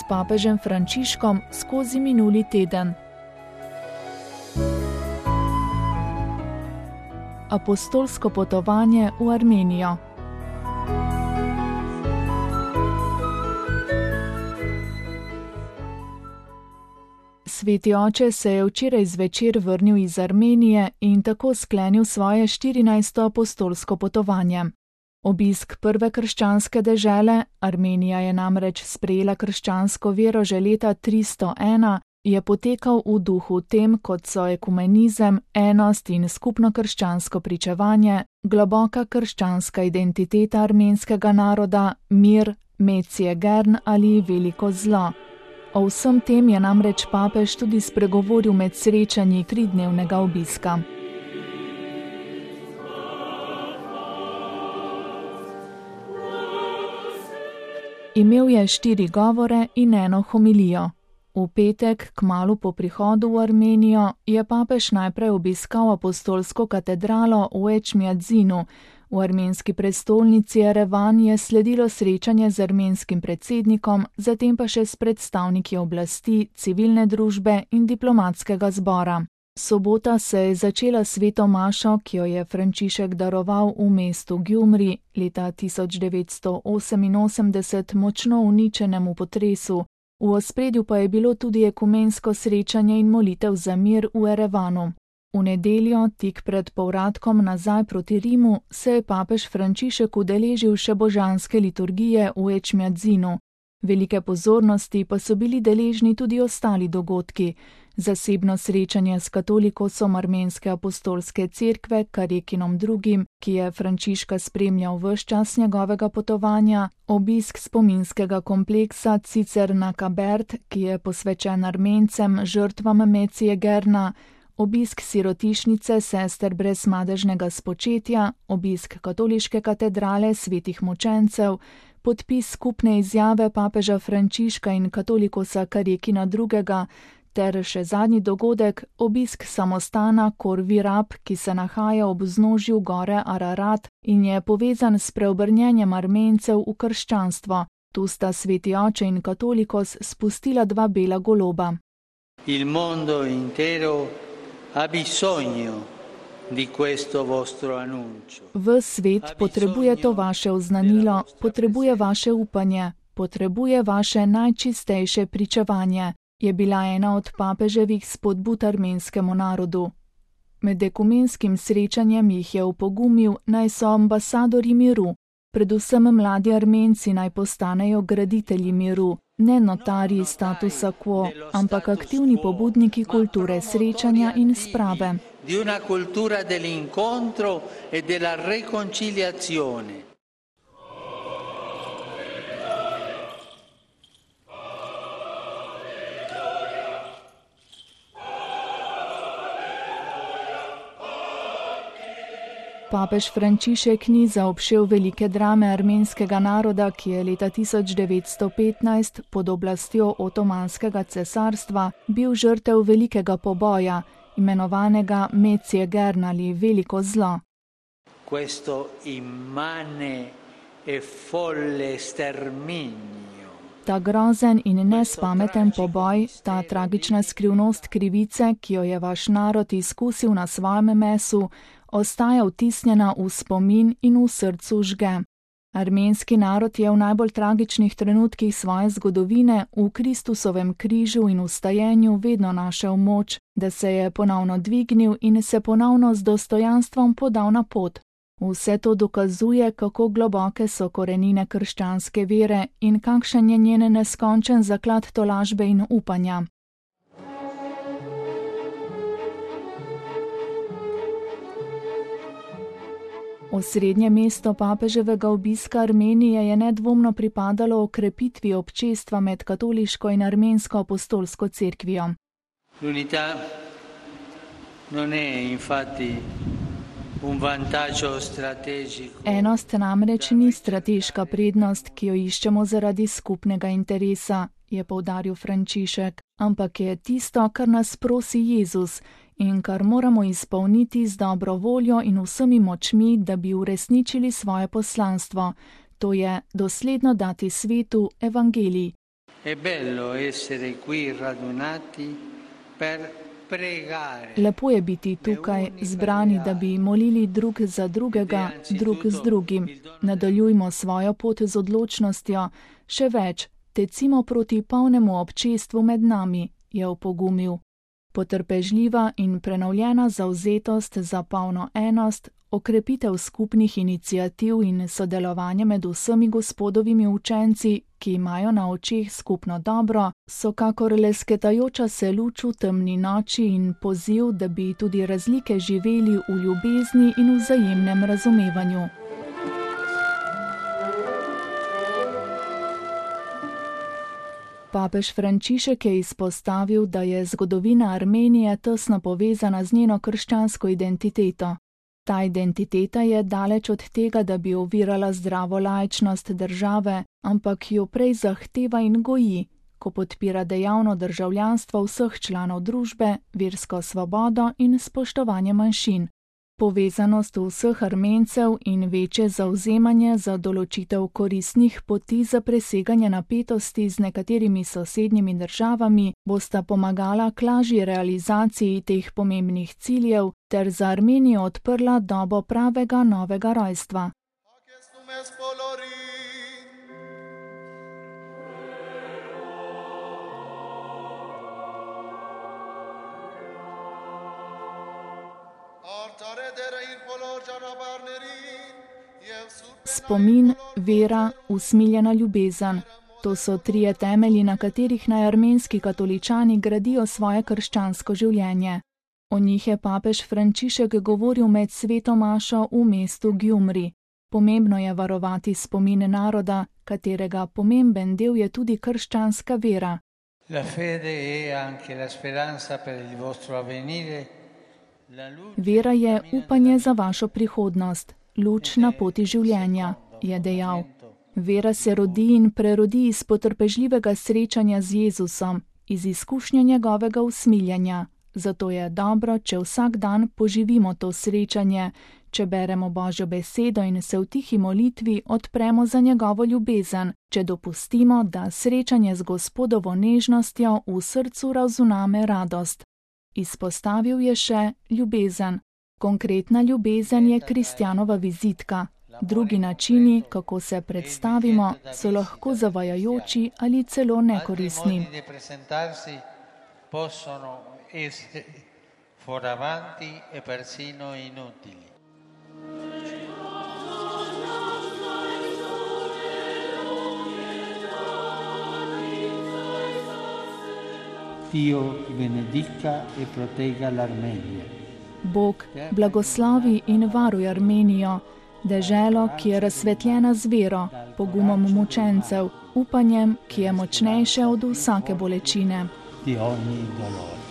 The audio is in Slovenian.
papežem Frančiškom skozi minuli teden. Apostolsko potovanje v Armenijo. Sveti oče se je včeraj zvečer vrnil iz Armenije in tako sklenil svoje 14. apostolsko potovanje. Obisk prve krščanske dežele, Armenija je namreč sprejela krščansko vero že leta 301, je potekal v duhu tem, kot so ekumenizem, enost in skupno krščansko pričevanje, globoka krščanska identiteta armenskega naroda, mir, Metsije Gern ali veliko zlo. O vsem tem je namreč papež tudi spregovoril med srečanji tridnevnega obiska. Imel je 4 govore in 1 homilijo. V petek, kmalu po prihodu v Armenijo, je papež najprej obiskal apostolsko katedralo v Ečmiadzinu. V armenski prestolnici Jerevan je sledilo srečanje z armenskim predsednikom, zatem pa še s predstavniki oblasti, civilne družbe in diplomatskega zbora. Sobota se je začela sveto mašo, ki jo je Frančišek daroval v mestu Gjumri, leta 1988 močno uničenemu potresu. V ospredju pa je bilo tudi ekumensko srečanje in molitev za mir v Jerevanu. V nedeljo, tik pred povratkom nazaj proti Rimu, se je papež Frančišek udeležil še božanske liturgije v Ečmiadzinu. Velike pozornosti pa so bili deležni tudi ostali dogodki. Zasebno srečanje s katolikosom armenske apostolske cerkve Karekinom II., ki je Frančiška spremljal ves čas njegovega potovanja, obisk spominskega kompleksa Cicerna Kabert, ki je posvečen Armencem, žrtvam Metsije Gerna, obisk sirotišnice sester brez madežnega spočetja, obisk katoliške katedrale svetih mučencev, podpis skupne izjave papeža Frančiška in katolikosa Karekina II., ter še zadnji dogodek, obisk samostana Kor Virab, ki se nahaja ob vznožju gore Ararat in je povezan s preobrnjenjem Armencev v krščanstvo. Tu sta sveti oče in katolikos spustila 2 bela goloba. Il mondo intero ha bisogno di questo vostro annuncio. Ves svet potrebuje to vaše oznanilo, potrebuje vaše upanje, potrebuje vaše najčistejše pričevanje, je bila ena od papeževih spodbud armenskemu narodu. Med ekumenskim srečanjem jih je opogumil, naj so ambasadorji miru, predvsem mladi Armenci naj postanejo graditelji miru, ne notarji statusa quo, ampak aktivni pobudniki kulture srečanja in sprave. Di una cultura dell'incontro e della reconciliazione. Papež Frančišek ni zaobšel velike drame armenskega naroda, ki je leta 1915 pod oblastjo Otomanskega cesarstva bil žrtev velikega poboja, imenovanega Metsije Gern ali veliko zlo. Questo immane e folle sterminio. Ta grozen in nespameten poboj, ta tragična skrivnost krivice, ki jo je vaš narod izkusil na svojem mesu, ostaja vtisnjena v spomin in v srcu žge. Armenski narod je v najbolj tragičnih trenutkih svoje zgodovine v Kristusovem križu in vstajenju vedno našel moč, da se je ponovno dvignil in se ponovno z dostojanstvom podal na pot. Vse to dokazuje, kako globoke so korenine krščanske vere in kakšen je njen neskončen zaklad tolažbe in upanja. Osrednje mesto papeževega obiska Armenije je nedvomno pripadalo okrepitvi občestva med katoliško in armensko apostolsko cerkvijo. L'unità non è infatti un vantaggio strategico. Enost namreč ni strateška prednost, ki jo iščemo zaradi skupnega interesa, je poudaril Frančišek, ampak je tisto, kar nas prosi Jezus in kar moramo izpolniti z dobro voljo in vsemi močmi, da bi uresničili svoje poslanstvo, to je dosledno dati svetu evangelij. È bello essere qui radunati per pregare. Lepo je biti tukaj zbrani, da bi molili drug za drugega, drug z drugim. Nadaljujmo svojo pot z odločnostjo, še več, tecimo proti polnemu občestvu med nami, je opogumil. Potrpežljiva in prenovljena zavzetost za polno enost, okrepitev skupnih iniciativ in sodelovanje med vsemi Gospodovimi učenci, ki imajo na očeh skupno dobro, so kakor lesketajoča se luč v temni noči in poziv, da bi tudi razlike živeli v ljubezni in vzajemnem razumevanju. Papež Frančišek je izpostavil, da je zgodovina Armenije tesno povezana z njeno krščansko identiteto. Ta identiteta je daleč od tega, da bi ovirala zdravo laičnost države, ampak jo prej zahteva in goji, ko podpira dejavno državljanstvo vseh članov družbe, versko svobodo in spoštovanje manjšin. Povezanost vseh Armencev in večje zavzemanje za določitev koristnih poti za preseganje napetosti z nekaterimi sosednjimi državami bosta pomagala k lažji realizaciji teh pomembnih ciljev ter za Armenijo odprla dobo pravega novega rojstva. Spomin, vera, usmiljena ljubezen. To so trije temelji, na katerih naj armenski katoličani gradijo svoje krščansko življenje. O njih je papež Frančišek govoril med sveto mašo v mestu Gjumri. Pomembno je varovati spomine naroda, katerega pomemben del je tudi krščanska vera. La fede è anche la speranza per il vostro avvenire. Vera je upanje za vašo prihodnost, luč na poti življenja, je dejal. Vera se rodi in prerodi iz potrpežljivega srečanja z Jezusom, iz izkušnje njegovega usmiljanja. Zato je dobro, če vsak dan poživimo to srečanje, če beremo Božjo besedo in se v tihi molitvi odpremo za njegovo ljubezen, če dopustimo, da srečanje z Gospodovo nežnostjo v srcu razuname radost. Izpostavil je še ljubezen. Konkretna ljubezen je kristjanova vizitka. Drugi načini, kako se predstavimo, so lahko zavajajoči ali celo nekoristni. Dio benedica e protegga l'Armenija. Bog blagoslovi in varuj Armenijo, deželo, ki je razsvetljena z vero, pogumom mučencev, upanjem, ki je močnejše od vsake bolečine. Di ogni dolore.